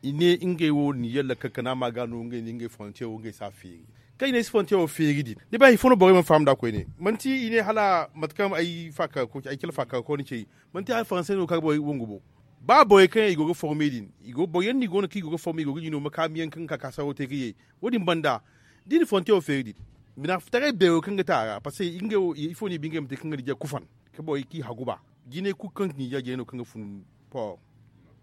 i ne ngey wo nizer lakkal kana ma ga no ngey nda ngey frontier wo ngey si a feeri. Kaŋ i ne ay si frontier wo feeri din ni bay hari fo no borey mana faham nd'a koyne. Manti i ne hala mate kaŋ ay faakar koy ci ay cala faakar koy ni ci ay manti hala faransey no ga ka ga borey wangu bo. Ba borey kaŋ yaŋ i go ga forme din i go boro yaŋ no i go no kaŋ i go ga forme i go ga jino makaami yaŋ kaŋ ga ka ka saro te ga ye. Wo- din banda da i na frontier wo feeri din bina taray beero kaŋ ga te a ra parceque ngey wo ifo no i ba ngey ma te kaŋ ga nizer kufan ka borey kaŋ i hagu ba. Jinay kulu kaŋ ga nizer jinay no kaŋ ga fun port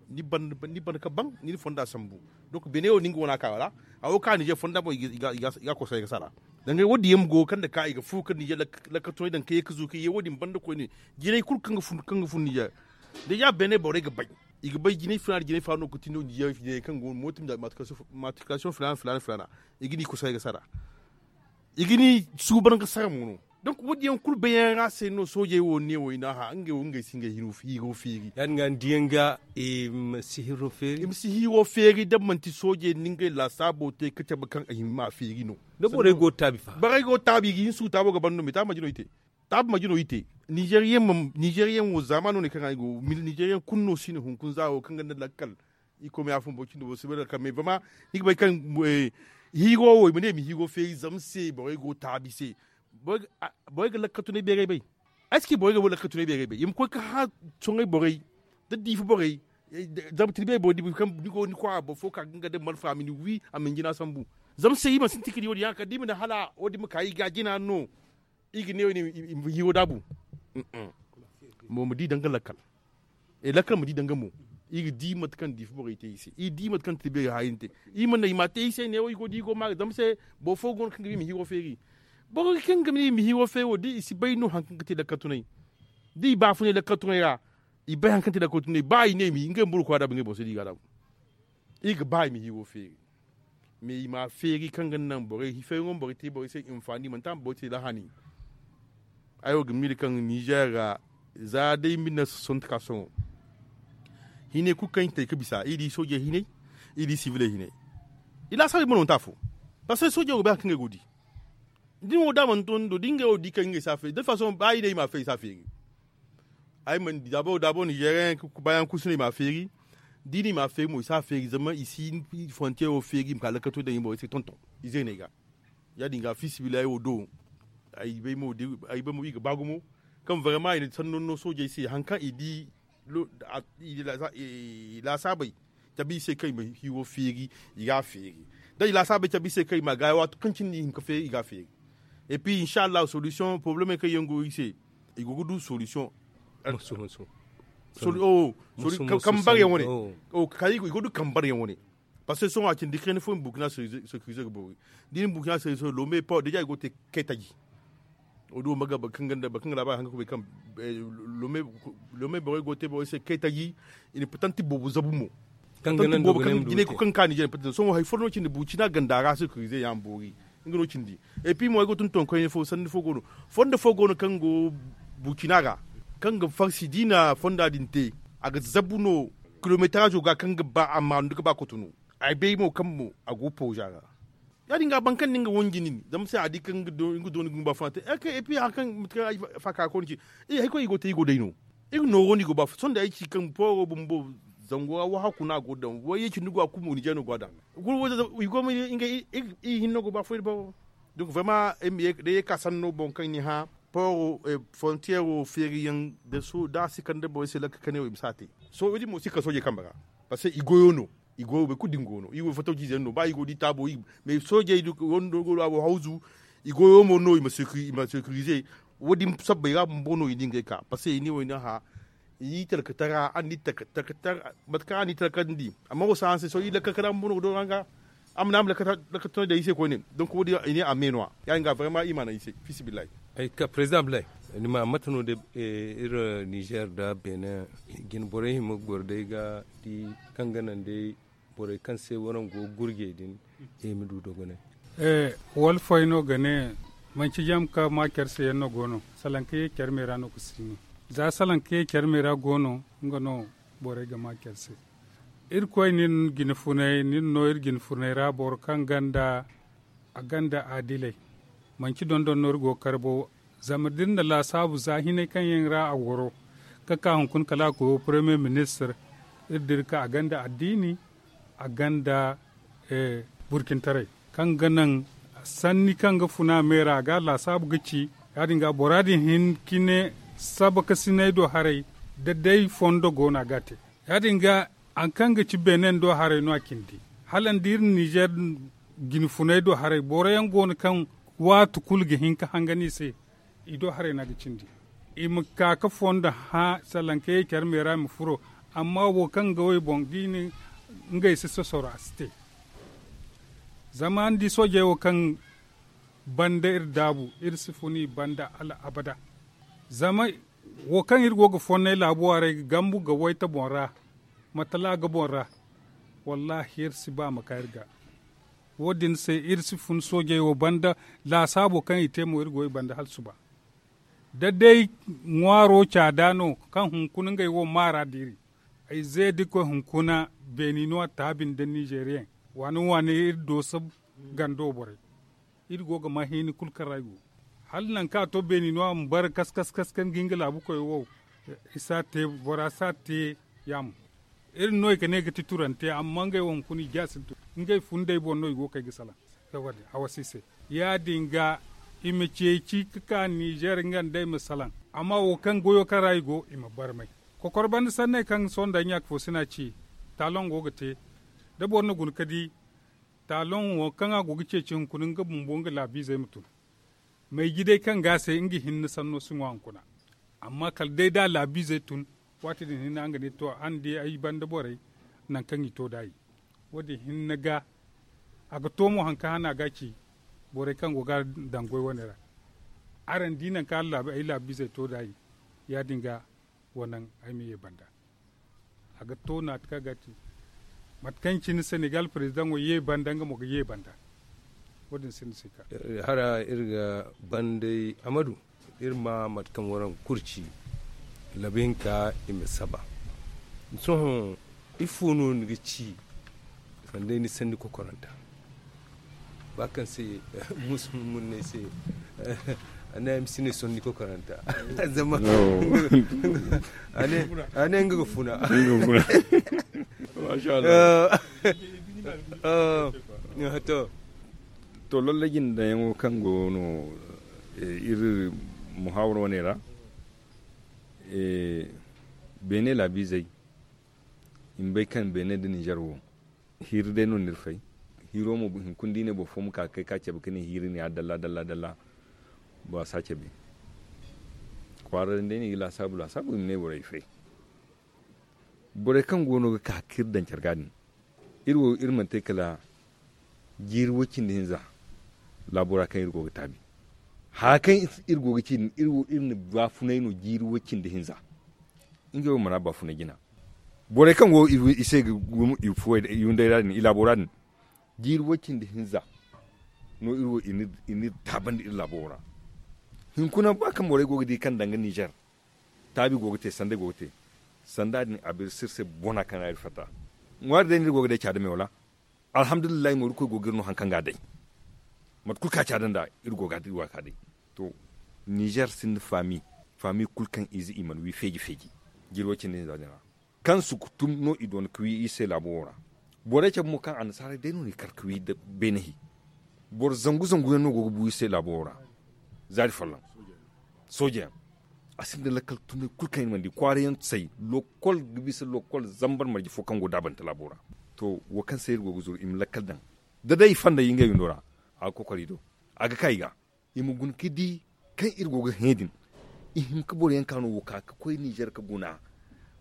ni banda ka ban ni na fonda sambu. Donc benin wo no nga wane a ka ra a wo ka nizer fonda boŋ i ga a koso ay ga sara. Dangay wo- din yaŋ ma go kaŋ nda ka i ga fu kaŋ nizer lakkatunay daŋ ka ye ka zu ka ye wo- din banda koyne. Jinay kulu kaŋ ga fun nizer da ya benin borey ga bay i ga bay jinay funa nda jinay funa no ga ti no nizer kaŋ go no mooto matriculation filaana filaana filaana. I ga ni kusa ay ga sara i ga ni suuban ga sara mo no. Donc wo- din yaŋ kulu bayyaŋ ra se no soojey wo ne wo i n'a hã ngey wo ngey si ngey hiiro feeri. Ya- din ga ni diyaŋ ga i ma si hiiro feeri da manti soojey nda ngey laasaabo te ka cabe kaŋ a hima ma a feeri no. Da borey go ga taabi fa borey go ga taabi i ga hin suuru taabo ga ban no me taabi manti no i te. Taabi manti no i te. Nizeriyaŋ wo zaamaano ne kaŋ ra i go nizeriyaŋ kulu no si no hunkuna za wo kaŋ gonda lakkal. Iri koy ma ya fun boro cindi boro si bay lakkal me bama ni ga bay kaŋ hiiro wo i ma ne i ma hiiro feeri zama se borey go ga taabi se. Borey ga lakkatunay beeray bay. Ay si ci borey ga lakkatunay beeray bay i ma koy ga hã soŋay borey da diifa borey. Zama tirbe borey da i ma kaŋ ni go ni kwaara boro fo ka ga nga day malfa a ma ni wi a ma ni jina sambu. Zama se iri mana sintin ka di wo- din ya- din kala da i ma ne hala wo- din ma ka iri ga jina no. Iri ga ne wo- din i ma hiiro daabu. Mo ma di danga lakkal. Lakkal ma di danga mo. Iri ga di mate kaŋ diifa borey te iri se iri di mate kaŋ tirbe ga haayin te. Iri mana i ma te iri se ne wo iri go da iri go maaga zama se boro fo go no kaŋ ga ba i ma hiiro feeri. Boro kaŋ ga ba i ma hiiro feeri wo da i si bay no hari kaŋ ga te lakkatunay da i baafunay lakkatunay ra. I bay hari kaŋ te lakkatunay ba i ne i ma ngey ma boro kwaara daabu ngey boro se da i ga a daabu. Iri ga ba i ma hiiro feeri. Mais i ma a feeri kaŋ ga naŋ borey hifeyaŋo ma borey te borey se hinfaani manti a ma borey te lahani. Ay wo ga miila kaŋ nizer ra za day mille neuf cent soixante ka sohõ. Hinay kulu kaŋ i te ga bisa i di soojey hinay i di siviley hinay. I laasaabey mo no manti afo. Parceque soojey wo ga bay hari kaŋ ngey go ga di. Da ni wo da a mana to ni do da ngey wo ga di kaŋ ngey si a feeri da façon ba i ne i ma a feeri i si a feeri. Ay mana di daabo daabo nizeeriyaŋ baayaŋ kulu si no i m'a feeri. Da i na i m'a feeri mo i si a feeri zama i si frontiyeero feeri i ma ka lakkato daŋ i borey se tonton. Ize no ay ga ya- din ga fiisabilillahi wo do. Ay bay mo i ga ba gumo kaŋ varema i na sanno no soojey se hari kaŋ i di i laasaabey cabe i se kaŋ i ma hiiro feeri. I ga a feeri da i laasaabey cabe i se kaŋ i ma a gaayi waati kaŋ cine i hin ka feeri i ga a feeri. Et puis insa allahu solution porobalemey kaŋ yaŋ go i se i go ga du solution. Kambar yaŋ wane. Kala i go ga du kambar yaŋ wane. Parce que sohõ a cindi kayna fo i ma burkina securize ga boori. Da i na burkina securize lome pawa deja i go ga te kay taji. Wo- din wo ma ga boro kaŋ ga laabari haŋ ga kubay kaŋ lome borey go ga te borey se kay taji. I na patanti boobo zabu mo. Patanti boobo kaŋ jinay kulu kaŋ ga ka nizeer patanti sohõ hari fo no cindi burkina ganda ra securize ya ma boori. Nga no cindi. Et puis mo ay go ga tunton koyne fo sanni fo go no fondo fo go no kaŋ go burkina ra kaŋ ga farsi da i na fonda din te a ga zabu no. Kilometarazo ga kaŋ ga ba a maanu ga ba kotonu. Ay bay mo kaŋ mo a go pooza ra. Ya- din ga boro kaŋ na nga wanji nin zama se a di kaŋ nga dooni ga ba funa te. Et puis hari kaŋ mate kaŋ ay faaka koyne ci hari koy i go ga te i go day no. Iri nooro no i go ba sohõ da ay ci kaŋ pooro bumbo zango ra wahakku no a go ga daŋ wayye cindi go a kulu mo nizeer no go a daŋ. I go ma ngey iri hinne go ba foy da boro. Donc vraiment day ye ka sanno boŋ kaŋ ni hã pooro frontiyeero feeriyaŋ da a si kande borey se lakka kane wo i ma si a te. Sohõ wo- din mo si ka soojey kambe ra. Parce que i goyo no. I goyo boro kulu din go no iri wo fattaw ciize yaŋ no ba i go da i taabo. Mais soojey wando go no a go hawzu. I goyo mo no i ma securize. Wo- din sabbay ra bumbo no i na ngey ka parce que i ne wo i na hã. I talkatara a ni talkatara mate kaŋ a ni talkandi amma wo si hanse sohõ i lakka kara bumbo no ga doora nga. A ma ne a ma lakka tana day i se koyne. Donc wo- din i ne a me no- ya- din ga vraiment i ma naŋ i se. Fiisabilillahi. Ay ka président blay ni ma mate no day iri nizeer nda benin jine borey hima ga goro day ga di kaŋ ga naŋ day borey kaŋ se waraŋ go ga gurjey din. I ma du dogonay. Wala foy no ga ne manci jam ka ma care se yaŋ no go no salaŋ ka ye care me ra no ga si no. Za salaŋ ka ye care me ra go no nga no borey ga ma care se. Irkoy nin jine funay nin no iri jine funay ra boro kaŋ ganda a ganda adilay. Manci dondon no iri go ga kar bo zama da iri na laasaabu za hinay kaŋ yaŋ ra a goro ga ka hunkuna kala a koyo premier ministre. Iri dira ka a ganda addiini a ganda burkintaray kaŋ ga naŋ sanni kaŋ ga funa me ra a ga a laasaabu ga ci. Ya- din ga bora din hin ka ne sabakasinay do haray da day fondo go no a ga a te. Ya- din ga hari kaŋ ga ci benin do haray no a cindi hala ni di iri nizeer jine funay do haray boro yaŋ go no kaŋ waati kulu ga hin ka hangan i se. I do haray no a ga cindi i ma ka ga fondo hã salaŋ ka ye care me ra i ma furo. Amma wo kaŋ ga wo i boŋ da i na ngey si sosoro a si te. Zama ni di soojey wo kaŋ banda iri daabu iri si fun i banda hala abada. Zama wo kaŋ iri go ga fonnay laabu waray ga gambu ga wayta boŋ ra matala ga boŋ ra. Wallaahi iri si ba ma ka iri ga. Wo- din se iri si fun soojey wo banda laasaabo kaŋ i te mo iri go i banda hala suba. Da day ŋwaaro caada no kaŋ hunkuna ngey wo maara diiri. Ay ze da koy hunkuna beeninuwa taabi nda nizeeriyaŋ waani waani iri dooso gando borey. Iri go ga ma hiini kulu kaŋ ra i go hala nangu kaŋ a to beeninuwa ma bare kas kas kas kaŋ ga nga laabu koy wo. I si a te bora si a te. Yaamo iri no i ga ne ga ti turante amma ngey wo hunkuna i ga sintin ngey fundey boŋ no i go ga kay ga salaŋ. Awa si se ya- din ga i ma ceeci ga ka nizeer nga nd'ey ma salaŋ. Amma wo kaŋ goyo kaŋ ra i go i ma barmay. Kokoro banda sanney kaŋ sohõ nda ay ɲaaka fo si no a ci. Taaloŋ go ga te da boro na guna ga di taaloŋ wo kaŋ a go ga ceeci hunkuna nga bumbo nga laabiizey ma tun. Mayji day kaŋ ga a se nga hinne sanno si ŋwa hunkuna. Amma kala day da a laabiizey tun waati din hinne araŋ ga ne to araŋ di ay banda borey. Nangu kaŋ i to nd'a i wo- din hinne ga a ga to mo hari kaŋ hana ga a ci. Borey kaŋ go ga a daŋ goy wane ra araŋ di nangu kaŋ ay laabiizey to nd'a i ya- din ga wa naŋ ay ma ye banda. A ga to naati kaŋ a ga a ci mate kaŋ cine senegal perezidaŋo ye banda nga mo ga ye banda. Wo- din sinda si ka hara iri ga banday amadu. Iri ma mate kaŋ waraŋ kurci labi hinka i ma saba. Sohõ ifo no ni ga ci sanday ni sanni kokoranta ba kaŋ se musu munnay se. A ne ay ma si ne sohõ ni koy karanta. Zama a ne nga ga funa. Masha Allah. To, lallajin daŋyaŋo kaŋ go no iri muhawara wane ra, beene laabiizey i ma bay kaŋ beene nda ninzeer wo, hiiri day no ni iri fay. Hiiro mo hinkuna da i ne boro fo ma ka ga kay ka cabe ka ne hiiri ne ya dalla dalla dalla. Bora si a cabe. Kwaara din day no i ga laasaabu laasaabu i ma ne borey fay. Borey kaŋ go no ga ka kaŋ iri daŋ care ga din, iri wo iri mana te kala jiiri way-cindi hinza. Laabo ra kaŋ iri go ga taabi haya kaŋ iri go ga ci din, iri na baafunay no jiiri way-cindi hinza. Ngey wo mana baafunay jina. Borey kaŋ go i se ga i hunday ra din i laabo ra din, jiiri way-cindi hinza no iri wo i n'iri taabandi iri laabo wo ra. Hinkuna ba kaŋ borey go ga di kaŋ danga ninzeer, taabi go ga te sanday go ga te. Sanda din a biri sirse bona kaŋ ra iri fatta. Ŋwaari day no iri go ga day caada me wala? Alhamdulillahi mo iri koy go ga iri no hari kaŋ ga a day. Mate kulu kaŋ a caada nd'a iri go ga a day. To, ninzeer sinda faami. Faami kulu kaŋ ize i mana wi feeji feeji jiiri way-cindi hinza din ra. Kaŋ sukutum no i doona ga wi iri se laabo wo ra. Borey cabe mo kaŋ annasaarey day no n'i kar ga wi nda beene hi. Boro zangu zangu yaŋ no go ga bu iri se laabo wo ra. Zaari folloŋ sooje yaŋ. A sinda lakkal tunay kulu kaŋ iri mana di kwaara yaŋ say lokol ga bisa lokol zambar marje fo kaŋ go daabante laabo ra. To, wo kaŋ se iri go ga zuru i ma lakkal daŋ. Da day i fonday ngey windo ra, a ga kokor i do. A ga ka i ga i ma guna ga di kaŋ iri go ga hẽ din. I hin ga boro yaŋ ka no wo ka ga koy ninzeer ga guna.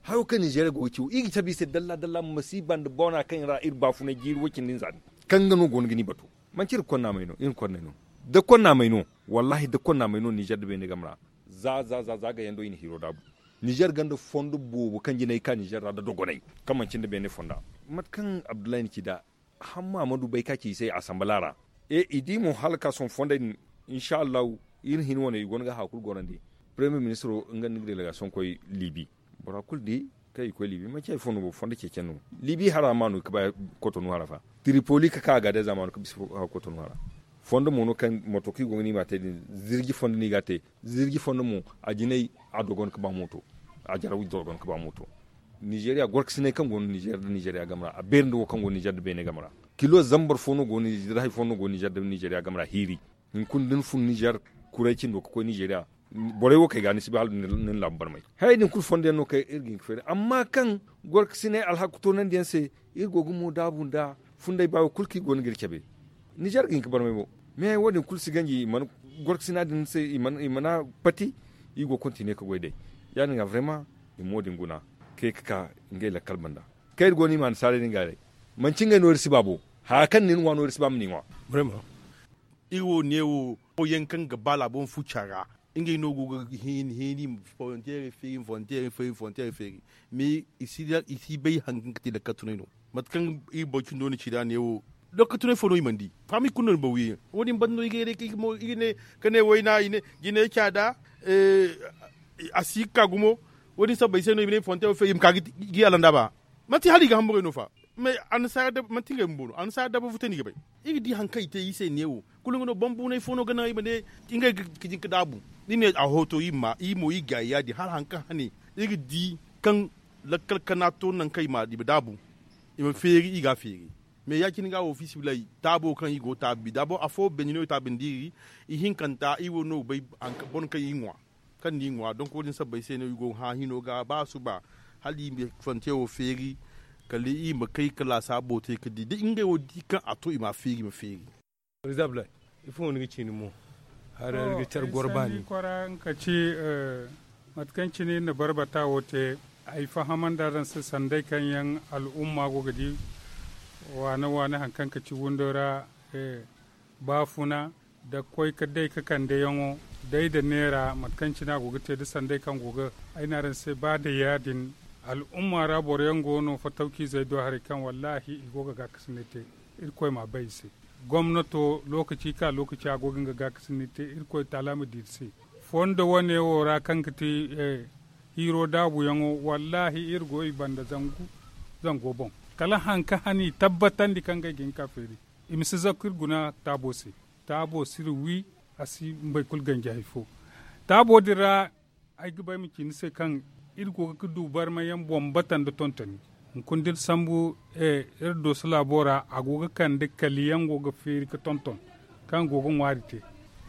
Hayo kaŋ ninzeer go ga ci wo iri ga cabe i se dalla dalla masiiba nda boona kaŋ ra iri baafunay jiiri way-cindi hinza din. Kaŋ nga no go no ga ni batu. Manci iri ga konna may no iri ga konna may no. Da konna may no, wallaahi da konna may no ninzeer nda beene game ra. Za za za za gayando i na hiiro daabu. Ninzeer gonda fondo boobo kaŋ jinay ga ka ninzeer ra nda dogonay, kaŋ manci nda beene fonda. Mate kaŋ abdullahi na ci nd'a, hamma ma du bay ka ci i se asambala ra. E i di mo hala ga ka sohõ fondey din. Insa allahu, iri hin wane i go no ga hari kulu gorandi. Premier ministro nga nda ni ga delegasiyoŋ koy libi. Bora kulu di kaŋ i koy libi manci hari fo no bo fondo ceeciyaŋ no. Libi hara ma no ga ba kotonu hara fa. Tiripoli ga ka a ga day za ma no ga bisa kotonu hara. Fondo mo no kaŋ moto kaŋ i go ga ni ma te din, zirji fondo no i ga a te. Zirji fondo mo, a jinay a dogon ga ba mooto. A jaraw dogon ga ba mooto. Nizeeriya gorkasinay kaŋ go no nizeeriya game ra a beeri nda wo kaŋ go no nizeeriya game ra. Kilo zambar fo no go no nizeeriya game ra hiiri. Hunkuna da ni fun nizeeriya kuray cindo ga koy nizeeriya, borey wo kaŋ ay ga ni si bay hala da ni laabu barmay. Hayey din kulu fondo yaŋ no kaŋ iri ga hin ga feeri amma kaŋ gorkasinay alhakku toonandi yaŋ se, iri go ga mo daabu nda funday baayo kulu kaŋ i go no ga iri cabe. Nizeer ga hin ga barmay mo. Me wo- din kulu si ganji i mana gorkasina din se i mana pati. I go ga kontine ga goy day. Ya- din ga vrema i ma wo- din guna, kay ga ka ngey lakkal banda. Kaŋ iri go no i ma annasaarey din ga day. Manci ngey no iri si ba bo. Haya kaŋ nin ŋwa no iri si ba ma ni ŋwa. Iri wo neewo yaŋ kaŋ ga ba laabo ma fu cara. Ngey no go ga heeni heeni i ma volonteerey feeri i ma volonteerey feeri i ma volonteerey feeri. Mais i si bay hari kaŋ ga te lakkal tunay no. Mate kaŋ iri boro cindo na ci nd'a neewo, lakkal tunay fo no i mana di. Faami kulu no ni boŋ wi yaŋ wo- din banda no i ga ne wayna i ne jinay caada. A si ga ka gumo. Wo- din sabbay se no i ma ne i ma fonte wo feeri i ma ka ga i alanda ba. Manti hala i ga hamburey no fa. Mais annasaara dabba manti ngey bumbo no annasaara dabba futa no i ga bay. Iri ga di hari kaŋ i te iri se neewo. Kulu nga no bambunay fo no ga naŋ i ma ne ngey ga jin ga daabu. Ni ne a hooto iri ma iri mo iri gaayi ya- din hala hari kaŋ hane iri ga di kaŋ lakkal kana to nangu kaŋ i ma daabu. I ma feeri iri ga a feeri. Mais ya- cine ga wo fiisabilillahi taabo kaŋ iri go ga taabi daabo afo beene no i taabindi iri. Ihinkanta iri wo no ga bay boro kaŋ iri ŋwa. Kaŋ no iri ŋwa donk wo- din sabbay se no iri go ga hã hino ga ba suba hala iri ma fante wo feeri. Kala iri ma kay ga laasaabo te ga di da ngey wo di kaŋ a to i ma a feeri i ma feeri. Ifo no ni ga ci ni mo? Hari iri ga care goro baani. Kora nga ka ci mate kaŋ cine iri na barbata wo te. Ay fahamandi araŋ se sanday kaŋ yaŋ al'umma go ga di waane waane hari kaŋ ka ci windo ra. Baafuna da koy ga day ga kande yaŋo day nda neera mate kaŋ cine a go ga te da sanday kaŋ go ga ay ne araŋ se ba nda ya- din. Al'umma ra boro yaŋ go no fatawciizey do haray kaŋ wallaahi i go ga gaakasinay te. Irkoy m'a bay i se. Gomnato lookaci ka lookaci a go ga nga gaakasinay te irkoy taala ma di iri se. Fondo wane wo ra kaŋ ga ti hiiro daabuyaŋo wallaahi iri go i banda zangu zango boŋ. Kala hari kaŋ hane i tabbatandi kaŋ ngey ga hin ga feeri. I ma si zakku iri guna taabo se. Taabo si iri wi. A si mbay kulu ganji hari fo. Taabo din ra, ay ga ba ay ma ci ni se kaŋ iri go ga du barmayaŋ boŋ bata nda tontoni. Hunkuna da iri sambu iri dooso laabo ra, a go ga kande kaliyaŋ go ga feeri ga tonton, kaŋ go ga ŋwaari te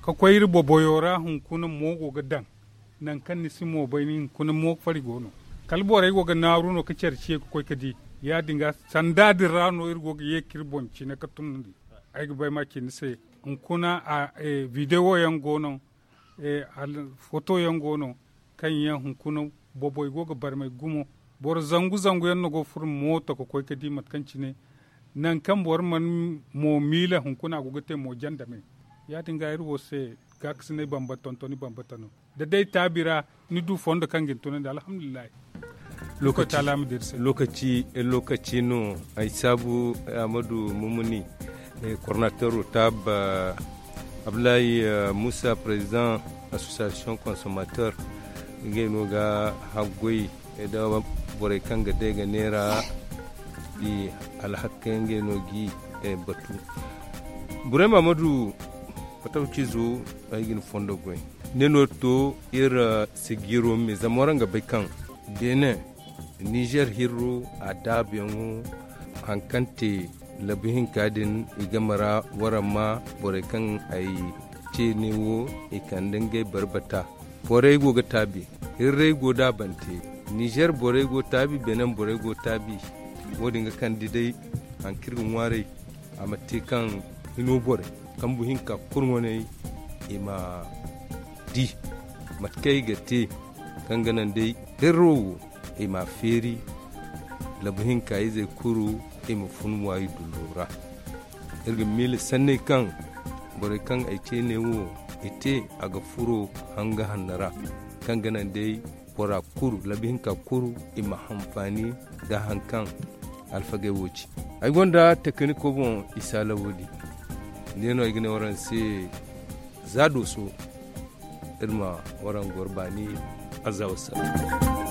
ka koy iri boboyo ra hunkuna mo go ga daŋ. Nangu kaŋ ni si mo bay ni hunkuna mo fari go no, kala borey go ga naaru no ga care ciye ga koy ga di. Ya- din ga sanda din ra no iri go ga ye ga iri boŋ cine ga tunandi. Ay ga ba ay ma ci ni se, hunkuna videwo yaŋ go no, foto yaŋ go no, kaŋ yaŋ hunkuna boboy go ga barmay gumo. Boro zangu zangu yaŋ no go ga furo mooto ga koy ga di mate kaŋ cine nangu kaŋ boro mana mo miila hunkuna a go ga te mo jandame. Ya- din ga iri wo se gaakasinay bambata tontoni bambata no. Da day taabi ra ni du fondo kaŋ ga ni tunandi alhamdulillahi. Lokaci no ay saabu, amadu mumuni, kornatero taaba, abdullahi, musa president, association consommateur, ngey no ga haggoy da borey kaŋ ga day ga neera. I alhakka yaŋ ngey no ga i batu. Burema amadu, fatawcizo, ay ga ni fondo goy. Ne no to iri sigiiro me zama waraŋ ga bay kaŋ benin, nizer hirro, a daabuyaŋo, hari kaŋ te labu hinka din, i game ra waraŋ ma borey kaŋ ay ce ne wo, i kande ngey barbata. Borey go ga taabi, hirrey go daabante, nizer borey go taabi, benin borey go taabi. Wo- din ga kande day hari kaŋ iri ga ŋwaaray, a ma te kaŋ hino borey kambu hinka kurŋwaney i ma di mate kaŋ i ga te, kaŋ ga naŋ day hirro wo i ma a feeri, labu hinka izey kulu i ma fun waayi dullo ra. Iri ga miila sanney kaŋ borey kaŋ ay ce ne wo i te, a ga furo hanga hanno ra, kaŋ ga naŋ day bora kulu labu hinka kulu i ma hanfaani nda hari kaŋ alfagey wo ci. Ay gonda tekiniko boŋ, isa lawali, ne no ay ga ne waraŋ se, za dooso iri ma waraŋ goro baani. Azawa sara.